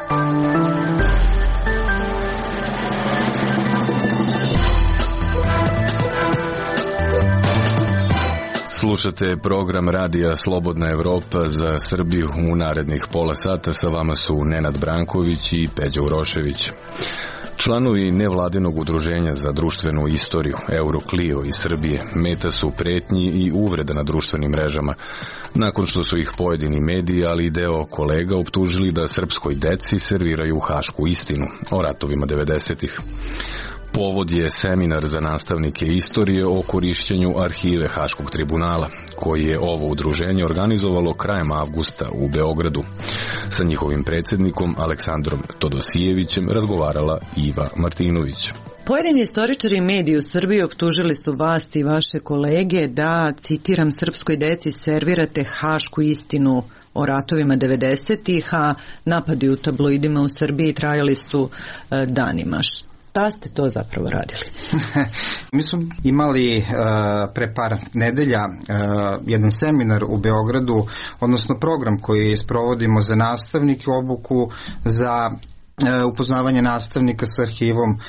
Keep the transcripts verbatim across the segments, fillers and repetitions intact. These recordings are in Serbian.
Slušate program radija Slobodna Evropa za Srbiju. U narednih pola sata sa vama su Nenad Branković i Peđa Urošević. Članovi nevladinog udruženja za društvenu istoriju Euroclio iz Srbije meta su pretnji i uvreda na društvenim mrežama, nakon što su ih pojedini mediji, ali i deo kolega optužili da srpskoj deci serviraju hašku istinu o ratovima devedesetih. Povod je seminar za nastavnike istorije o korišćenju arhive Haškog tribunala, koji je ovo udruženje organizovalo krajem avgusta u Beogradu. Sa njihovim predsjednikom Aleksandrom Todosijevićem razgovarala Iva Martinović. Pojedini istoričari i mediji u Srbiji optužili su vas i vaše kolege da, citiram, srpskoj deci servirate hašku istinu o ratovima devedesetih, a napadi u tabloidima u Srbiji trajali su e, danima. Šta ste to zapravo radili? Mi smo imali uh, pre par nedelja uh, jedan seminar u Beogradu, odnosno program koji sprovodimo za nastavnike, obuku za upoznavanje nastavnika sa arhivom uh,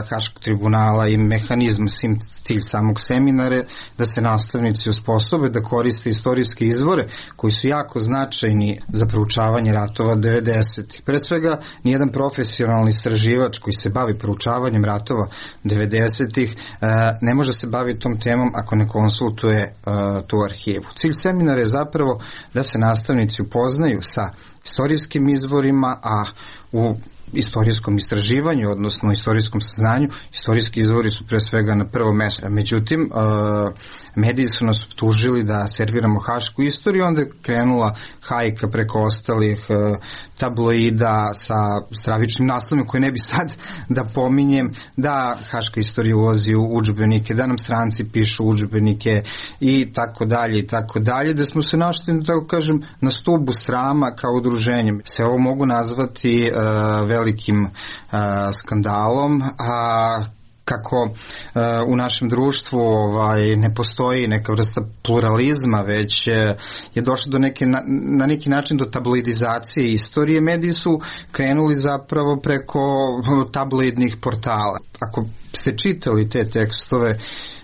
Haškog tribunala i mehanizma, sim, cilj samog seminara da se nastavnici osposobe da koriste istorijske izvore koji su jako značajni za proučavanje ratova devedesetih. Pre svega, nijedan profesionalni istraživač koji se bavi proučavanjem ratova devedesetih uh, ne može se baviti tom temom ako ne konsultuje uh, tu arhivu. Cilj seminara je zapravo da se nastavnici upoznaju sa istorijskim izvorima, a u istorijskom istraživanju, odnosno istorijskom saznanju, istorijski izvori su pre svega na prvo mesto. Međutim, mediji su nas optužili da serviramo hašku istoriju, onda je krenula hajka preko ostalih tabloida sa stravičnim naslovima koje ne bi sad da pominjem, da haška istorija ulazi u udžbenike, da nam stranci pišu udžbenike i tako dalje i tako dalje, da smo se našli, da tako kažem, na stubu srama kao udruženjem. Sve ovo mogu nazvati uh, velikim uh, skandalom, a kako uh, u našem društvu ovaj, ne postoji neka vrsta pluralizma, već uh, je došlo do neke, na, na neki način do tabloidizacije istorije. Mediji su krenuli zapravo preko tabloidnih portala. Ako ste čitali te tekstove,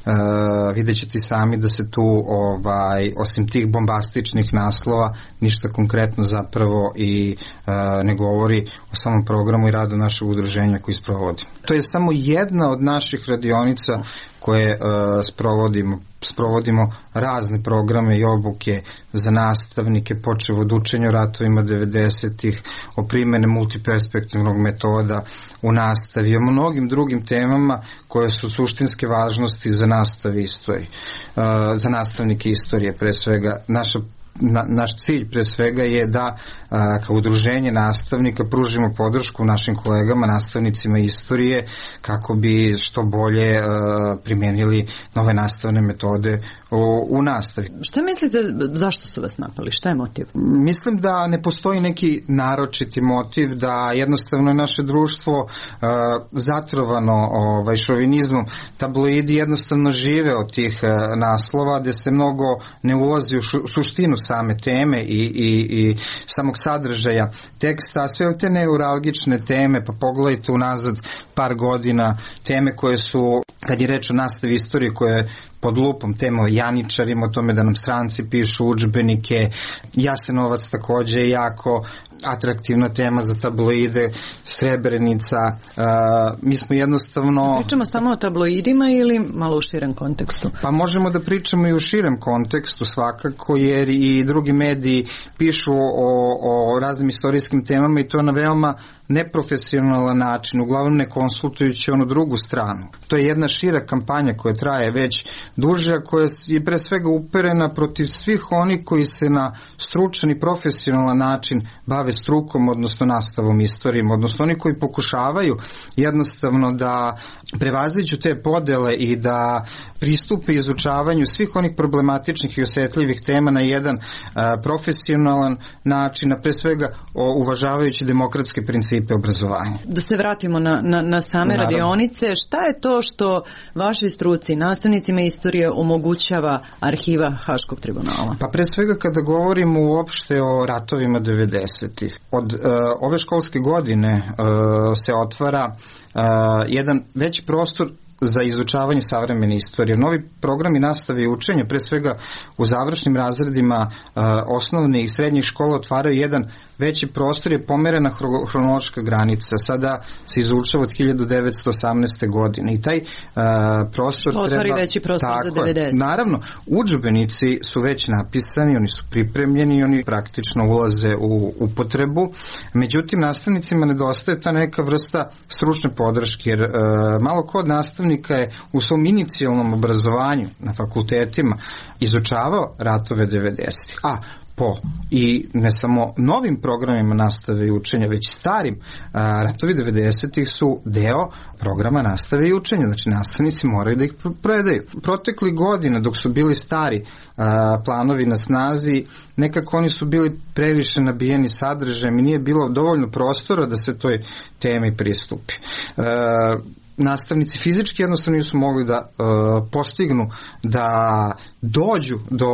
Uh, vidjet ćete sami da se tu ovaj, osim tih bombastičnih naslova ništa konkretno zapravo i uh, ne govori o samom programu i radu našeg udruženja koji sprovodi. To je samo jedna od naših radionica koje uh, sprovodimo. Sprovodimo razne programe i obuke za nastavnike, počev od učenja o ratovima devedesetih, o primjene multiperspektivnog metoda u nastavi, o mnogim drugim temama koje su suštinske važnosti za nastav istorije, uh, za nastavnike istorije pre svega. Naša Na, naš cilj pre svega je da a, kao udruženje nastavnika pružimo podršku našim kolegama, nastavnicima istorije, kako bi što bolje a, primijenili nove nastavne metode u, u nastavi. Šta mislite, zašto su vas napali? Šta je motiv? Mislim da ne postoji neki naročiti motiv, da jednostavno je naše društvo a, zatrovano ovaj, šovinizmom. Tabloidi jednostavno žive od tih a, naslova, gde se mnogo ne ulazi u šu, suštinu same teme i, i, i samog sadržaja teksta, a sve te neuralgične teme, pa pogledajte unazad par godina, teme koje su, kad je reč o nastavi istorije, koje pod lupom tema o janičarima, o tome da nam stranci pišu udžbenike, Jasenovac takođe je jako atraktivna tema za tabloide, Srebrenica, uh, mi smo jednostavno... Pričamo samo o tabloidima ili malo u širem kontekstu? Pa možemo da pričamo i u širem kontekstu svakako, jer i drugi mediji pišu o, o raznim istorijskim temama i to na veoma neprofesionalan način, uglavnom ne konsultujući onu drugu stranu. To je jedna šira kampanja koja traje već duže, koja je pre svega uperena protiv svih oni koji se na stručan i profesionalan način bave strukom, odnosno nastavom istorijom, odnosno oni koji pokušavaju jednostavno da prevaziđu te podele i da pristupe izučavanju svih onih problematičnih i osjetljivih tema na jedan uh, profesionalan način, a pre svega o, uvažavajući demokratske principe obrazovanja. Da se vratimo na, na, na same Naravno. radionice, šta je to što vašoj struci, nastavnicima istorije, omogućava arhiva Haškog tribunala? Pa pre svega kada govorimo uopšte o ratovima devedesetih, devedesetih. Od uh, ove školske godine uh, se otvara uh, jedan veći prostor za izučavanje savremene istorije. Novi programi nastave i učenja, pre svega u završnim razredima uh, osnovne i srednjih škola, otvaraju jedan veći prostor, je pomerena hronološka granica. Sada se izučava od hiljadu devetsto osamnaeste. godine i taj uh, prostor što treba... otvori veći prostor za devedeset. Naravno, udžbenici su već napisani, oni su pripremljeni, oni praktično ulaze u upotrebu. Međutim, nastavnicima nedostaje ta neka vrsta stručne podrške, jer uh, malo ko od nastavnika je u svom inicijalnom obrazovanju na fakultetima izučavao ratove devedesetih. A po i ne samo novim programima nastave i učenja, već starim, a, ratovi devedesetih su deo programa nastave i učenja, znači nastavnici moraju da ih predaju. Protekli godina dok su bili stari a, planovi na snazi, nekako oni su bili previše nabijeni sadržajem i nije bilo dovoljno prostora da se toj temi pristupi. A, nastavnici fizički jednostavno nisu mogli da uh, postignu da dođu do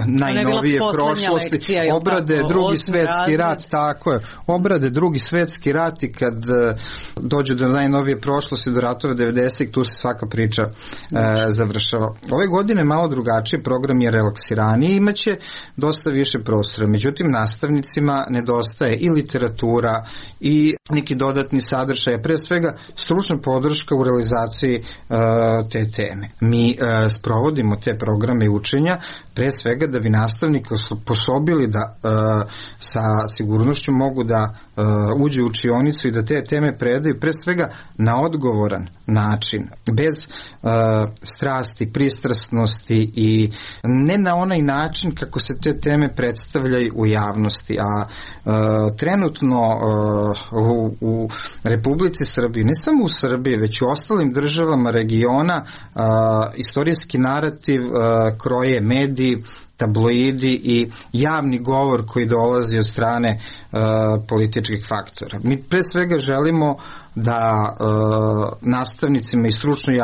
najnovije prošlosti, obrade tako, drugi svetski razred. rat, tako je, obrade drugi svetski rat i kad uh, dođu do najnovije prošlosti, do ratova devedesetih, tu se svaka priča uh, završava. Ove godine malo drugačiji, program je relaksiraniji, imaće dosta više prostora, međutim nastavnicima nedostaje i literatura i neki dodatni sadržaj, pre svega stručna podrška u realizaciji uh, te teme. Mi uh, sprovodimo te programe učenja pre svega da bi nastavnika sposobili da uh, sa sigurnošću mogu da uh, uđe u učionicu i da te teme predaju pre svega na odgovoran način, bez uh, strasti, pristrasnosti i ne na onaj način kako se te teme predstavljaju u javnosti. A uh, trenutno uh, u, u Republici Srbiji, ne samo u Srbiji, već u ostalim državama regiona, uh, istorijski narativ uh, kroje mediji, tabloidi i javni govor koji dolazi od strane uh, političkih faktora. Mi pre svega želimo da uh, nastavnicima i stručnoj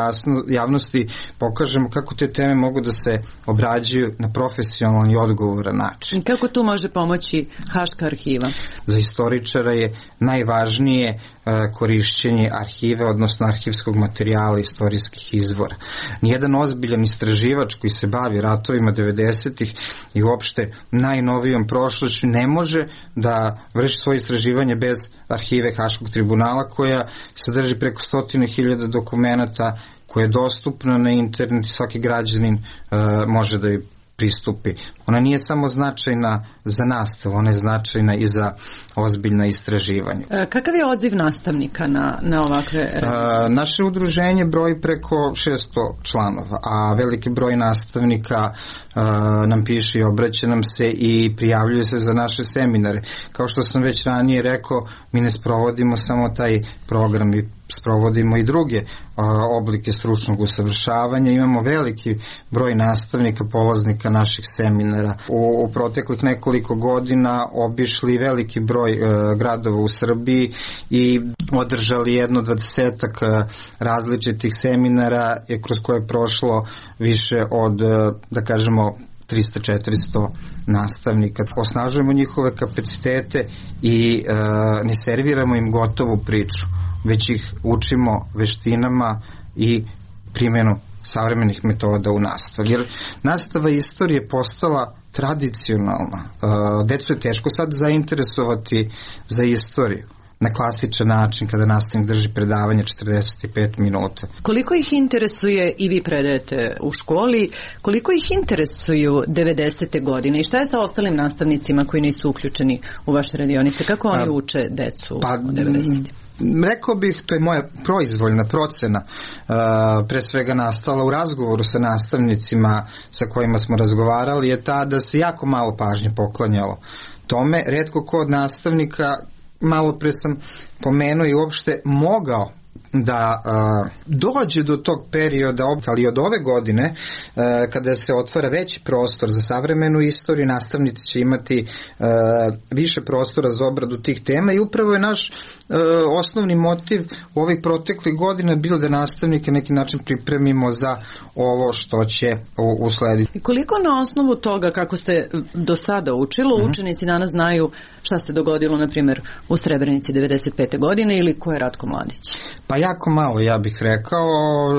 javnosti pokažemo kako te teme mogu da se obrađuju na profesionalan i odgovoran način. Kako tu može pomoći Haška arhiva? Za istoričara je najvažnije uh, korišćenje arhive, odnosno arhivskog materijala, istorijskih izvora. Nijedan ozbiljan istraživač koji se bavi ratovima devedesetih i uopšte najnovijom prošlošću ne može da vrši svoje istraživanje bez arhive Haškog tribunala, koja sadrži preko stotine hiljada dokumenata, koja je dostupna na internet i svaki građanin uh, može da joj pristupi. Ona nije samo značajna za nastavu, ona je značajna i za ozbiljna istraživanja. E, kakav je odziv nastavnika na, na ovakve... E, naše udruženje broji preko šesto članova, a veliki broj nastavnika e, nam piše i obraća nam se i prijavljuje se za naše seminare. Kao što sam već ranije rekao, mi ne sprovodimo samo taj program, mi sprovodimo i druge a, oblike stručnog usavršavanja. Imamo veliki broj nastavnika, polaznika naših seminara. U, u proteklih nekoliko godina obišli veliki broj a, gradova u Srbiji i održali jedno dvadesetak a, različitih seminara kroz koje je prošlo više od, a, da kažemo, trista do četiristo nastavnika. Osnažujemo njihove kapacitete i e, ne serviramo im gotovu priču, već ih učimo veštinama i primjenu savremenih metoda u nastavi. Jer nastava istorije postala tradicionalna. E, decu je teško sad zainteresovati za istoriju na klasičan način kada nastavnik drži predavanje četrdeset pet minuta. Koliko ih interesuje, i vi predajete u školi, koliko ih interesuju devedesete godine i šta je sa ostalim nastavnicima koji nisu uključeni u vaše radionice? Kako oni A, uče decu pa, u devedesetim? Rekao bih, to je moja proizvoljna procena, uh, pre svega nastala u razgovoru sa nastavnicima sa kojima smo razgovarali, je ta da se jako malo pažnje poklanjalo tome. Retko ko od nastavnika, malo pre sam pomenuo, i uopšte mogao da a, dođe do tog perioda, ali od ove godine a, kada se otvara veći prostor za savremenu istoriju, nastavnici će imati a, više prostora za obradu tih tema i upravo je naš a, osnovni motiv u ovih proteklih godina bilo da nastavnike neki način pripremimo za ovo što će uslediti. I koliko na osnovu toga kako se do sada učilo, mm-hmm. učenici danas znaju šta se dogodilo, na primjer, u Srebrenici devedeset pete godine ili ko je Ratko Mladić? Pa jako malo, ja bih rekao.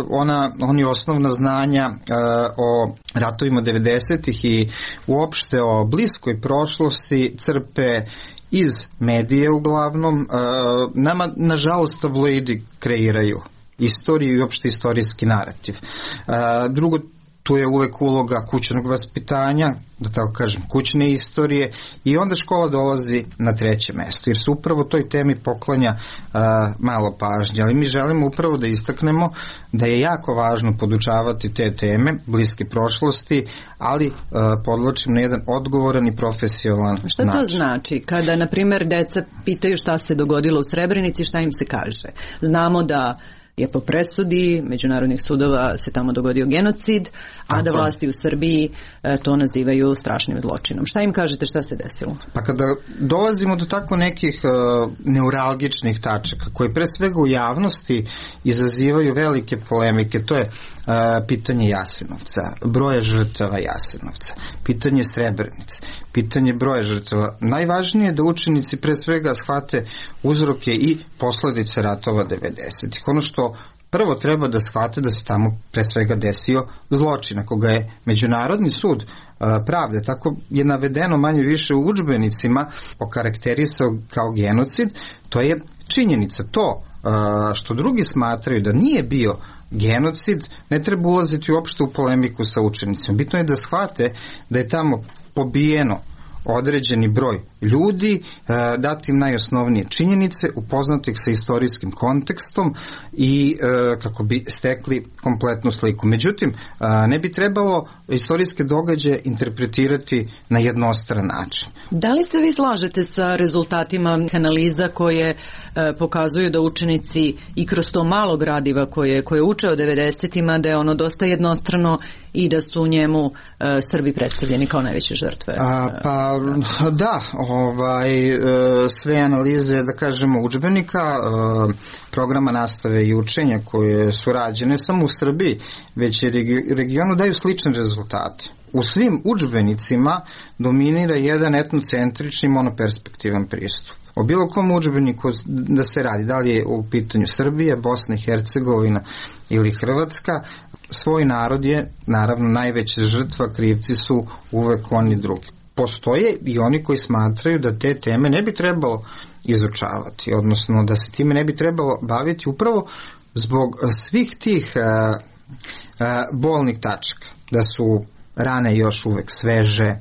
Ona, oni osnovna znanja uh, o ratovima devedesetih i uopšte o bliskoj prošlosti crpe iz medije uglavnom. Uh, nama, nažalost, tabloidi kreiraju istoriju i uopšte istorijski narativ. Uh, drugo, tu je uvek uloga kućnog vaspitanja, da tako kažem, kućne istorije, i onda škola dolazi na treće mesto, jer se upravo toj temi poklanja uh, malo pažnje. Ali mi želimo upravo da istaknemo da je jako važno podučavati te teme bliske prošlosti, ali uh, podlačim na jedan odgovoran i profesionalan način. Šta to znači? Kada, na primjer, deca pitaju šta se dogodilo u Srebrenici, šta im se kaže? Znamo da je po presudi međunarodnih sudova se tamo dogodio genocid, a Tako. da vlasti u Srbiji e, to nazivaju strašnim zločinom. Šta im kažete, šta se desilo? Pa kada dolazimo do tako nekih uh, neuralgičnih tačaka, koje pre svega u javnosti izazivaju velike polemike, to je uh, pitanje Jasenovca, broja žrtava Jasenovca, pitanje Srebrenice, pitanje broja žrtava. Najvažnije je da učenici pre svega shvate uzroke i posledice ratova devedesetih. Ono što prvo treba da shvate da se tamo pre svega desio zločin, ako ga je Međunarodni sud pravde, tako je navedeno manje više u udžbenicima, okarakterisao kao genocid, to je činjenica. To što drugi smatraju da nije bio genocid, ne treba ulaziti uopšte u polemiku sa učenicima. Bitno je da shvate da je tamo pobijeno određeni broj ljudi, dati im najosnovnije činjenice, upoznati ih sa istorijskim kontekstom i kako bi stekli kompletnu sliku. Međutim, ne bi trebalo istorijske događaje interpretirati na jednostran način. Da li se vi slažete sa rezultatima analiza koje pokazuju da učenici i kroz to malo gradiva koje, koje uče o devedesetima, da je ono dosta jednostrano i da su u njemu Srbi predstavljeni kao najveće žrtve? A, pa da, ovaj, sve analize, da kažemo, udžbenika, programa nastave i učenja koje su rađene samo u Srbiji, već i regionu, daju slične rezultate. U svim udžbenicima dominira jedan etnocentrični monoperspektivan pristup. O bilo kom udžbeniku da se radi, da li je u pitanju Srbije, Bosna i Hercegovina ili Hrvatska, svoj narod je naravno najveća žrtva, krivci su uvek oni drugi. Postoje i oni koji smatraju da te teme ne bi trebalo izučavati, odnosno da se time ne bi trebalo baviti upravo zbog svih tih a, a, bolnih tačaka, da su rane još uvek sveže,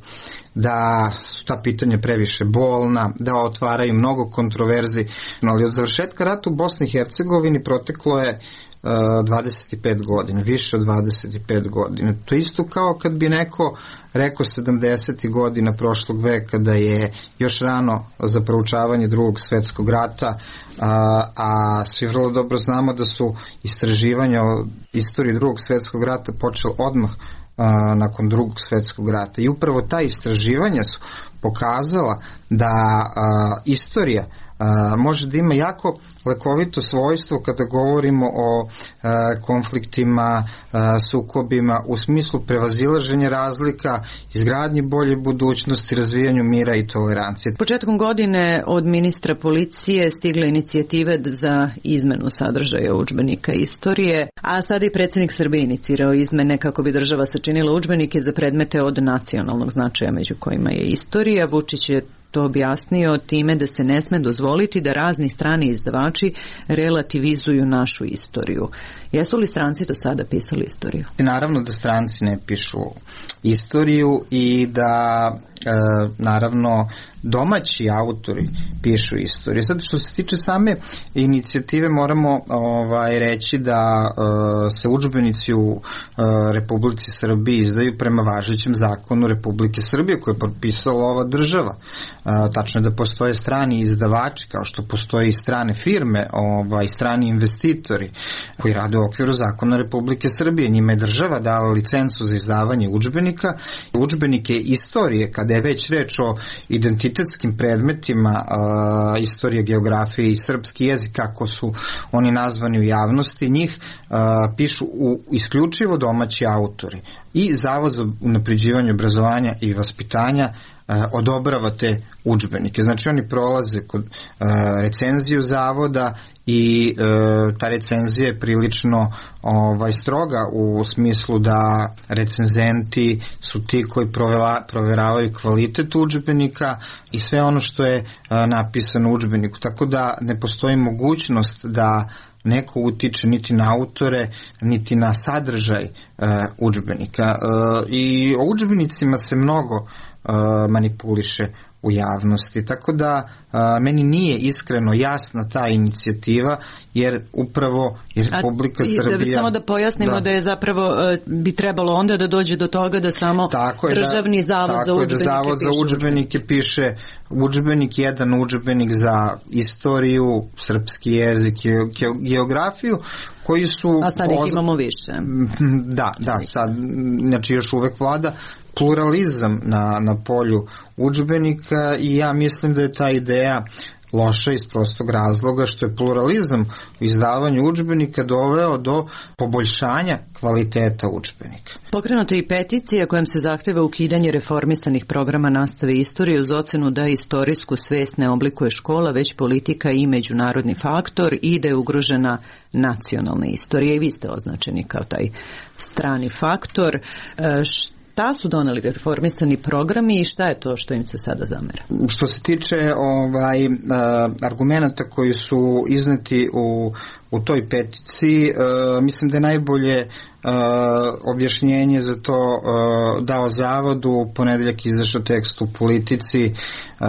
da su ta pitanja previše bolna, da otvaraju mnogo kontroverzi. No, ali od završetka rata u Bosni i Hercegovini proteklo je uh, dvadeset pet godina, više od dvadeset pet godina. To isto kao kad bi neko rekao sedamdesetih godina prošlog veka da je još rano za proučavanje drugog svetskog rata, a, a svi vrlo dobro znamo da su istraživanja o istoriji drugog svetskog rata počeli odmah a, nakon drugog svetskog rata. I upravo ta istraživanja su pokazala da a, istorija a, može da ima jako lekovito svojstvo kada govorimo o a, konfliktima, a, sukobima u smislu prevazilaženja razlika, izgradnji bolje budućnosti, razvijanju mira i tolerancije. Početkom godine od ministra policije stigle inicijative za izmenu sadržaja udžbenika istorije, a sada i predsjednik Srbije inicirao izmene kako bi država sačinila udžbenike za predmete od nacionalnog značaja, među kojima je istorija. Vučić je to objasnio time da se ne sme dozvoliti da razni strani izdavači relativizuju našu istoriju. Jesu li stranci do sada pisali istoriju? Naravno da stranci ne pišu istoriju i da naravno domaći autori pišu istoriju. Sad što se tiče same inicijative moramo ovaj, reći da uh, se udžbenici u uh, Republici Srbiji izdaju prema važećem zakonu Republike Srbije koje je potpisala ova država. Uh, tačno je da postoje strani izdavači kao što postoje i strane firme, ovaj, strani investitori koji rade u okviru zakona Republike Srbije. Njima je država dala licencu za izdavanje udžbenika. Udžbenike istorije, kada je već reč o identitetskim predmetima, uh, istorije, geografije i srpski jezik, kako su oni nazvani u javnosti, njih uh, pišu u isključivo domaći autori. I Zavod za unapređivanje obrazovanja i vaspitanja uh, odobrava te udžbenike. Znači oni prolaze kod uh, recenziju zavoda i e, ta recenzija je prilično ovaj, stroga u smislu da recenzenti su ti koji provela, proveravaju kvalitet udžbenika i sve ono što je a, napisano u udžbeniku. Tako da ne postoji mogućnost da neko utiče niti na autore, niti na sadržaj e, udžbenika. E, I o udžbenicima se mnogo e, manipuliše u javnosti, tako da a, meni nije iskreno jasna ta inicijativa, jer upravo je Republika A, Srbija... Da, samo da pojasnimo da, da je zapravo bi trebalo onda da dođe do toga da samo tako Državni da, zavod za udžbenike piše. Zavod za udžbenike piše udžbenik, jedan udžbenik za istoriju, srpski jezik, geografiju, koji su... A sad ih imamo više. Da, da, sad, znači još uvek vlada pluralizam na, na polju udžbenika i ja mislim da je ta ideja loša iz prostog razloga što je pluralizam u izdavanju udžbenika doveo do poboljšanja kvaliteta udžbenika. Pokrenuta je i peticija kojom se zahteva ukidanje reformisanih programa nastave istorije uz ocenu da istorijsku svest ne oblikuje škola, već politika i međunarodni faktor i da je ugrožena nacionalna istorija. I vi ste označeni kao taj strani faktor. Šta su doneli reformisani programi i šta je to što im se sada zamera? Što se tiče ovaj, uh, argumenata koji su izneti u, u toj peticiji, uh, mislim da je najbolje uh, objašnjenje za to uh, dao Zavodu. U ponedeljak izašao tekst u Politici uh,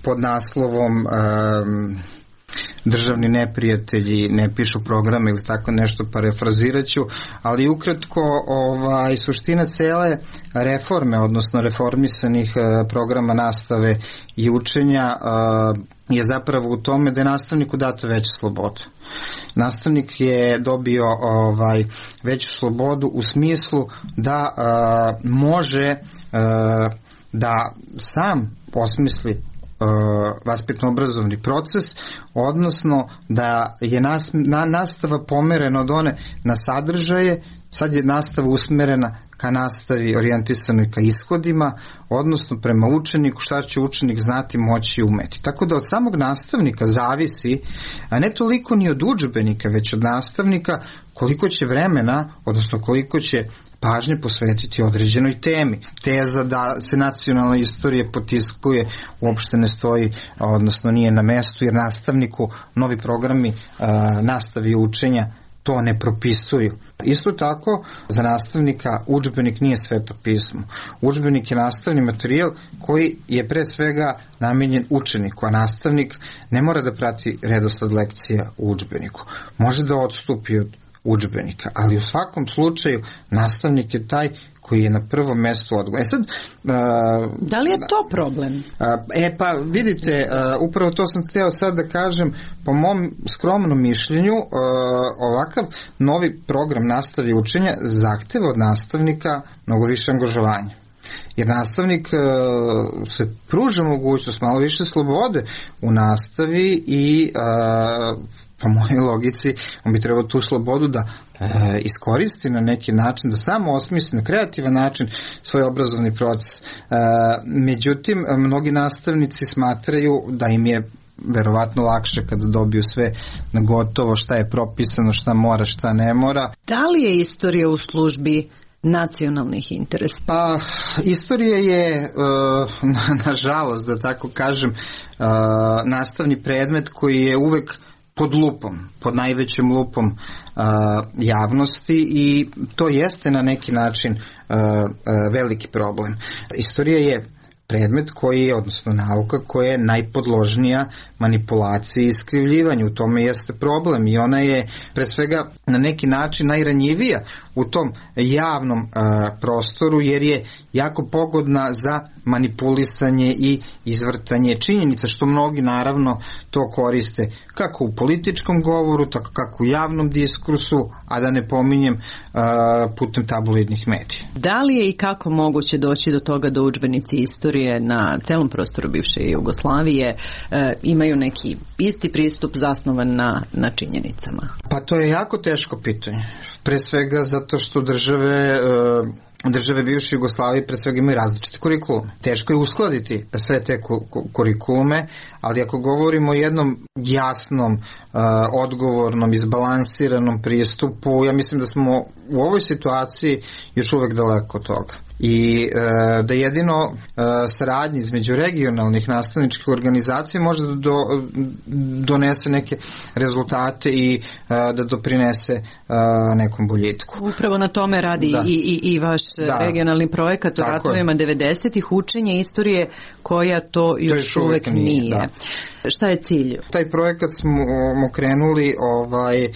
pod naslovom uh, državni neprijatelji ne pišu programe ili tako nešto, parafraziraću, ali ukratko ovaj, suština cele reforme, odnosno reformisanih eh, programa nastave i učenja eh, je zapravo u tome da je nastavniku dato veću slobodu. Nastavnik je dobio ovaj, veću slobodu u smislu da eh, može eh, da sam osmisli vaspitno-obrazovni proces, odnosno da je nas, na, nastava pomerena od one na sadržaje, sad je nastava usmerena ka nastavi orijentisanoj ka ishodima, odnosno prema učeniku, šta će učenik znati, moći i umeti. Tako da od samog nastavnika zavisi, a ne toliko ni od udžbenika, već od nastavnika koliko će vremena, odnosno koliko će pažnje posvetiti određenoj temi. Teza da se nacionalna istorija potiskuje uopšte ne stoji, odnosno nije na mestu, jer nastavniku novi programi a, nastavi učenja to ne propisuju. Isto tako, za nastavnika udžbenik nije sveto pismo. Udžbenik je nastavni materijal koji je pre svega namenjen učeniku, a nastavnik ne mora da prati redosled lekcija u udžbeniku. Može da odstupi od udžbenika, ali u svakom slučaju nastavnik je taj koji je na prvom mestu odgovoran. E sad, uh, da li je to problem? Uh, e pa vidite, uh, upravo to sam hteo sad da kažem, po mom skromnom mišljenju, uh, ovakav novi program nastave i učenja zahteva od nastavnika mnogo više angažovanja. Jer nastavnik uh, se pruža mogućnost malo više slobode u nastavi i uh, po mojoj logici, on bi trebao tu slobodu da e, iskoristi na neki način, da samo osmisli na kreativan način svoj obrazovni proces. E, međutim, mnogi nastavnici smatraju da im je verovatno lakše kada dobiju sve na gotovo, šta je propisano, šta mora, šta ne mora. Da li je istorija u službi nacionalnih interesa? Pa, istorija je, nažalost, da tako kažem, nastavni predmet koji je uvek pod lupom, pod najvećom lupom uh, javnosti i to jeste na neki način uh, uh, veliki problem. Istorija je predmet koji je, odnosno nauka koja je najpodložnija manipulaciji i iskrivljivanju. U tome jeste problem i ona je pre svega na neki način najranjivija u tom javnom uh, prostoru jer je jako pogodna za manipulisanje i izvrtanje činjenica, što mnogi naravno to koriste kako u političkom govoru, tako kako u javnom diskursu, a da ne pominjem uh, putem tabloidnih medija. Da li je i kako moguće doći do toga da udžbenici istorije na celom prostoru bivše Jugoslavije uh, imaju neki isti pristup zasnovan na, na činjenicama? Pa to je jako teško pitanje. Pre svega zato što države uh, države bivše Jugoslavije pre svega imaju različite kurikulume. Teško je uskladiti sve te kurikulume, ali ako govorimo o jednom jasnom, uh, odgovornom, izbalansiranom pristupu, ja mislim da smo u ovoj situaciji još uvek daleko od toga. I e, da jedino e, saradnje između regionalnih nastavničkih organizacija može da do, donese neke rezultate i e, da doprinese e, nekom boljitku. Upravo na tome radi i, i, i vaš da. regionalni projekat o ratovima devedesetih, učenje istorije koja to još, to još uvek nije. nije. Da. Šta je cilj? Taj projekat smo krenuli ovaj, uh,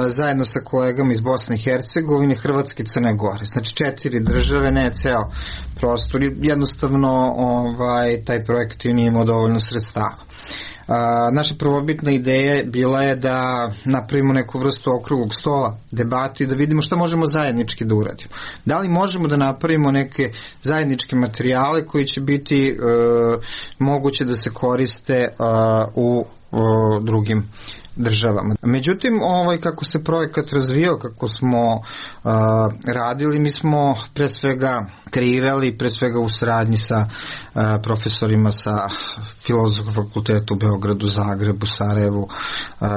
zajedno sa kolegama iz Bosne i Hercegovine, Hrvatske i Crne Gore. Znači četiri države, ne ceo prostor. Jednostavno ovaj, taj projekat nije imao dovoljno sredstava. Uh, naša prvobitna ideja bila je da napravimo neku vrstu okruglog stola, debati, da vidimo šta možemo zajednički da uradimo. Da li možemo da napravimo neke zajedničke materijale koji će biti uh, moguće da se koriste uh, u uh, drugim državama. Međutim, ovaj, kako se projekat razvijao, kako smo uh, radili, mi smo pre svega kreirali, pre svega u saradnji sa uh, profesorima sa Filozofskog fakulteta u Beogradu, Zagrebu, Sarajevu, uh,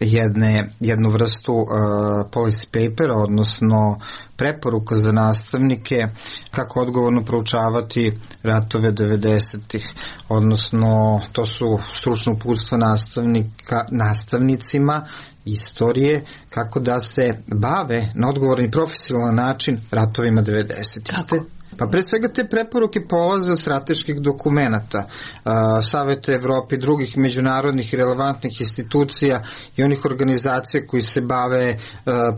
jedne, jednu vrstu uh, policy papera, odnosno preporuka za nastavnike kako odgovorno proučavati ratove devedesetih, odnosno to su stručno uputstva nastavnika, nastavnicima istorije kako da se bave na odgovoran i profesionalan način ratovima devedesetih. Kako? Pa pre svega te preporuke polaze od strateških dokumenata, Saveta Evrope i drugih međunarodnih i relevantnih institucija i onih organizacija koji se bave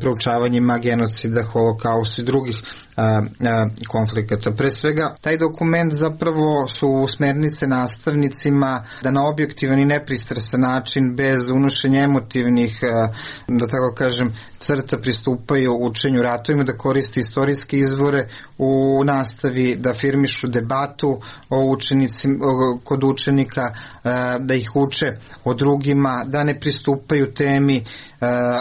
proučavanjima genocida, holokausta i drugih konflikata. Pre svega, taj dokument zapravo su smernice nastavnicima da na objektivan i nepristrasan način, bez unošenja emotivnih, da tako kažem, crta pristupaju učenju ratovima, da koriste istorijske izvore u nastavi, da afirmišu debatu o učenici, kod učenika, da ih uče o drugima, da ne pristupaju temi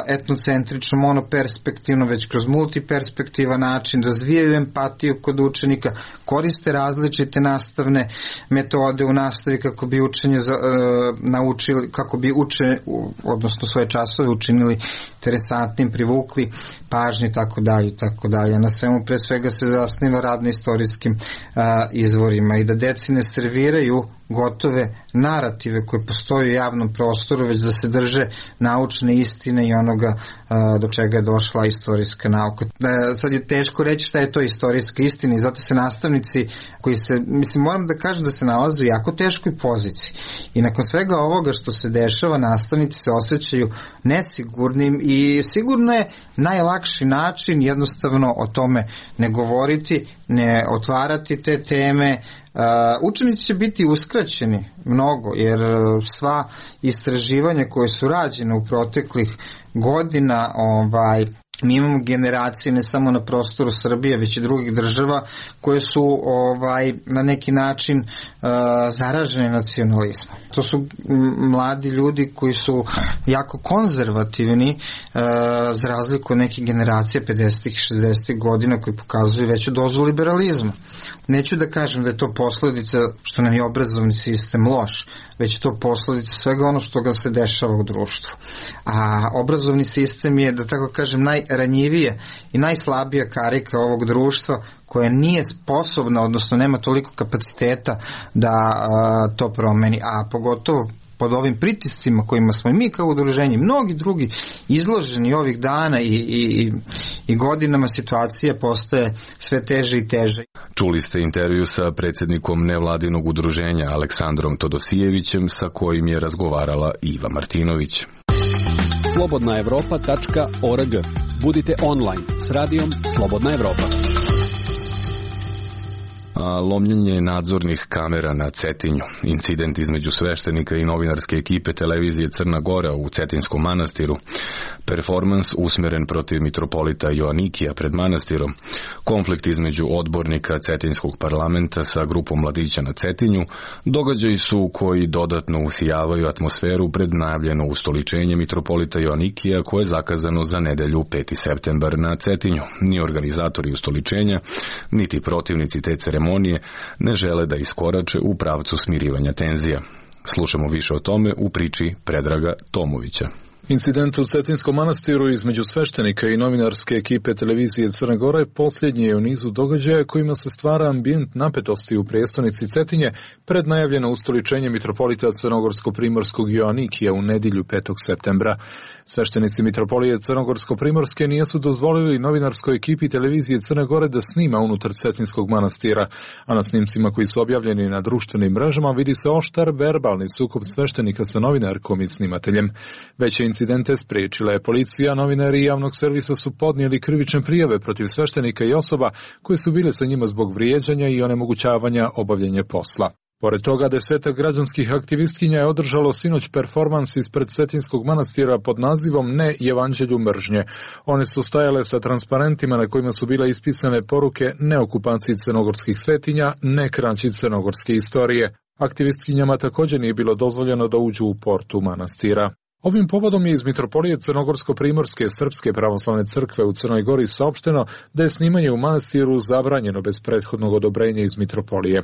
etnocentrično, monoperspektivno, već kroz multiperspektivan način, razvijaju empatiju kod učenika, koriste različite nastavne metode u nastavi kako bi učenje za, uh, naučili, kako bi uče, odnosno svoje časove učinili interesantnim, privukli pažnji, tako dalje, tako dalje. Na svemu pre svega se zasniva rad na istorijskim uh, izvorima i da deci ne serviraju gotove narative koje postoje u javnom prostoru, već da se drže naučne istine i onoga a, do čega je došla istorijska nauka. Da, sad je teško reći šta je to istorijska istina i zato se nastavnici koji se, mislim, moram da kažem da se nalaze u jako teškoj poziciji. I nakon svega ovoga što se dešava, nastavnici se osjećaju nesigurnim i sigurno je najlakši način jednostavno o tome ne govoriti, ne otvarati te teme. Uh, učenici će biti uskraćeni mnogo, jer sva istraživanja koje su rađene u proteklih godina, ovaj, mi imamo generacije ne samo na prostoru Srbije, već i drugih država koje su ovaj, na neki način uh, zaražene nacionalizmom. To su mladi ljudi koji su jako konzervativni uh, za razliku od nekih generacija pedesetih i šezdesetih godina koji pokazuju veću dozu liberalizma. Neću da kažem da je to posledica što nam je obrazovni sistem loš, već je to posledica svega ono što ga se dešava u društvu. A obrazovni sistem je, da tako kažem, najranjivije i najslabija karika ovog društva koja nije sposobna, odnosno nema toliko kapaciteta da a, to promeni, a pogotovo pod ovim pritiscima kojima smo i mi kao udruženje, mnogi drugi izloženi ovih dana i, i, i godinama, situacija postaje sve teže i teže. Čuli ste intervju sa predsjednikom nevladinog udruženja Aleksandrom Todosijevićem, sa kojim je razgovarala Iva Martinović. slobodna evropa tačka org. Budite online s radijom Slobodna Evropa. A lomljenje nadzornih kamera na Cetinju, incident između sveštenika i novinarske ekipe televizije Crna Gora u Cetinskom manastiru, performans usmjeren protiv mitropolita Joanikija pred manastirom, konflikt između odbornika Cetinskog parlamenta sa grupom mladića na Cetinju, događaji su koji dodatno usijavaju atmosferu pred najavljeno ustoličenje mitropolita Joanikija koje je zakazano za nedelju peti septembar na Cetinju. Ni organizatori ustoličenja, niti protivnici te ceremonije ne žele da iskorače u pravcu smirivanja tenzija. Slušamo više o tome u priči Predraga Tomovića. Incident u Cetinskom manastiru između sveštenika i novinarske ekipe televizije Crne Gore posljednji je u nizu događaja kojima se stvara ambijent napetosti u prijestolnici Cetinje pred najavljeno ustoličenje mitropolita Crnogorsko-primorskog Joanikija u nedjelju petog septembra. Sveštenici mitropolije Crnogorsko-primorske nijesu dozvolili novinarskoj ekipi televizije Crne Gore da snima unutar Cetinskog manastira, a na snimcima koji su objavljeni na društvenim mrežama vidi se oštar verbalni sukob sveštenika sa novinarkom i snimateljem. Veće incidente spriječila je policija, novinari javnog servisa su podnijeli krivične prijave protiv sveštenika i osoba koje su bile sa njima zbog vrijeđanja i onemogućavanja obavljanja posla. Pored toga, desetak građanskih aktivistkinja je održalo sinoć performans ispred Cetinskog manastira pod nazivom Ne evanđelju mržnje. One su stajale sa transparentima na kojima su bile ispisane poruke ne okupaciji crnogorskih svetinja, ne kraći crnogorske istorije. Aktivistkinjama također nije bilo dozvoljeno da uđu u portu manastira. Ovim povodom je iz mitropolije Crnogorsko-primorske Srpske pravoslavne crkve u Crnoj Gori saopšteno da je snimanje u manastiru zabranjeno bez prethodnog odobrenja iz mitropolije.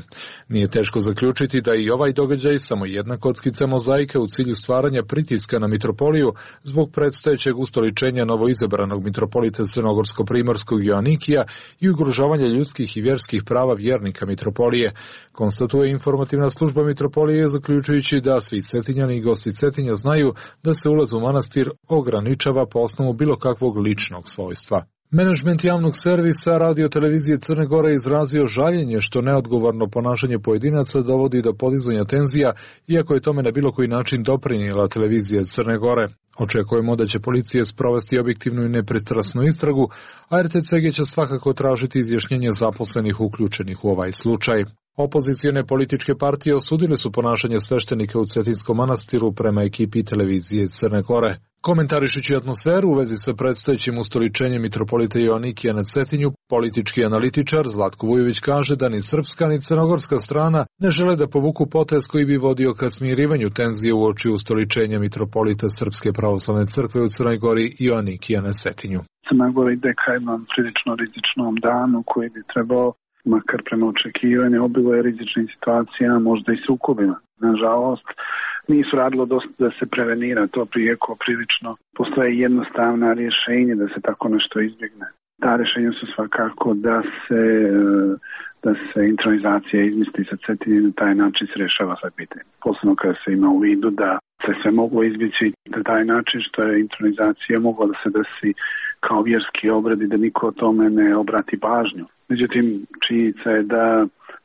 Nije teško zaključiti da i ovaj događaj samo jedna kockica mozaika u cilju stvaranja pritiska na mitropoliju zbog predstojećeg ustoličenja novoizabranog mitropolita Crnogorsko-primorskog Joanikija i ugrožavanja ljudskih i vjerskih prava vjernika mitropolije, konstatuje informativna služba mitropolije, zaključujući da svi Cetinjani i gosti Cetinja znaju da se ulaz u manastir ograničava po osnovu bilo kakvog ličnog svojstva. Menadžment javnog servisa radiotelevizije Crne Gore izrazio žaljenje što neodgovorno ponašanje pojedinaca dovodi do podizanja tenzija, iako je tome na bilo koji način doprinijela televizija Crne Gore. Očekujemo da će policija sprovesti objektivnu i nepristrasnu istragu, a R T C G će svakako tražiti izjašnjenje zaposlenih uključenih u ovaj slučaj. Opozicione političke partije osudile su ponašanje sveštenika u Cetinskom manastiru prema ekipi televizije Crne Gore. Komentarišući atmosferu u vezi sa predstojećim ustoličenjem mitropolita Joanikija na Cetinju, politički analitičar Zlatko Vujović kaže da ni srpska ni crnogorska strana ne žele da povuku potez koji bi vodio ka smirivanju tenzije uoči ustoličenja mitropolita Srpske pravoslavne crkve u Crnoj Gori Joanikija na Cetinju. Crna Gora ide ka jednom prilično rizičnom danu koji bi trebao, makar prema očekivanju, obiluje rizičnim situacijama, možda i sukobima. Nažalost, nisu radilo dosta da se prevenira to prijeko prilično. Postoje jednostavna rješenja da se tako nešto izbjegne. Ta rješenja su svakako da se, da se intronizacija izmisli sa Cetinje i na taj način se rješava sve pitanje. Posebno kada se ima u vidu da se sve moglo izbjeći na taj način što je intronizacija mogla da se desi kao vjerski obrad i da niko o tome ne obrati pažnju. Međutim, činjenica je da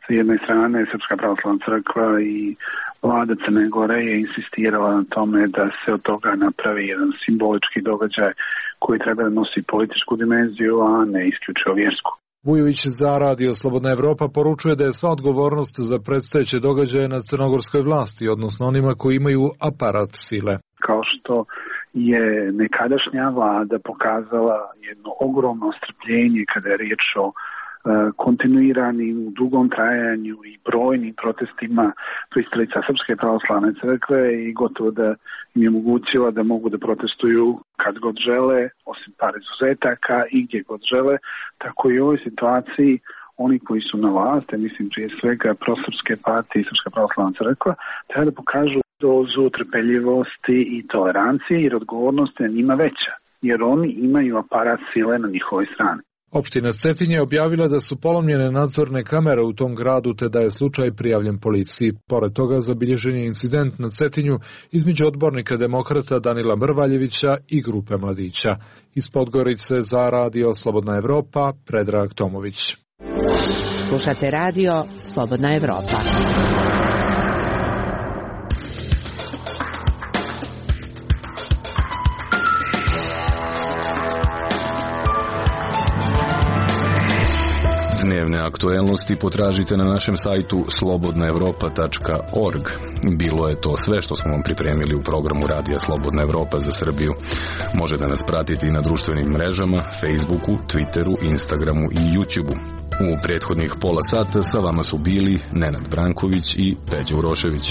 sa jedne strane Srpska pravoslavna crkva i vlada Crne Gore je insistirala na tome da se od toga napravi jedan simbolički događaj koji treba da nosi političku dimenziju, a ne isključivo vjersku. Vujović za Radio Slobodna Evropa poručuje da je sva odgovornost za predstojeće događaje na crnogorskoj vlasti, odnosno onima koji imaju aparat sile. Kao što je nekadašnja vlada pokazala jedno ogromno strpljenje kada je riječ o kontinuiranim, u dugom trajanju i brojnim protestima pristalica Srpske pravoslavne crkve i gotovo da im je omogućila da mogu da protestuju kad god žele, osim par izuzetaka i gdje god žele, tako i u ovoj situaciji oni koji su na vlasti, mislim prije svega prosrpske partije i Srpska pravoslavna crkva, treba da pokažu dozu trpeljivosti i tolerancije jer odgovornost je njima veća, jer oni imaju aparat sile na njihovoj strani. Opština Cetinje je objavila da su polomljene nadzorne kamere u tom gradu te da je slučaj prijavljen policiji. Pored toga zabilježen je incident na Cetinju između odbornika demokrata Danila Mrvaljevića i grupe mladića. Iz Podgorice za radio Slobodna Evropa, Predrag Tomović. Slušate radio Slobodna Evropa. Dnevne aktuelnosti potražite na našem sajtu slobodna evropa tačka org. Bilo je to sve što smo vam pripremili u programu Radija Slobodna Evropa za Srbiju. Možete nas pratiti na društvenim mrežama, Facebooku, Twitteru, Instagramu i YouTubeu. U prethodnih pola sata sa vama su bili Nenad Branković i Peđa Urošević.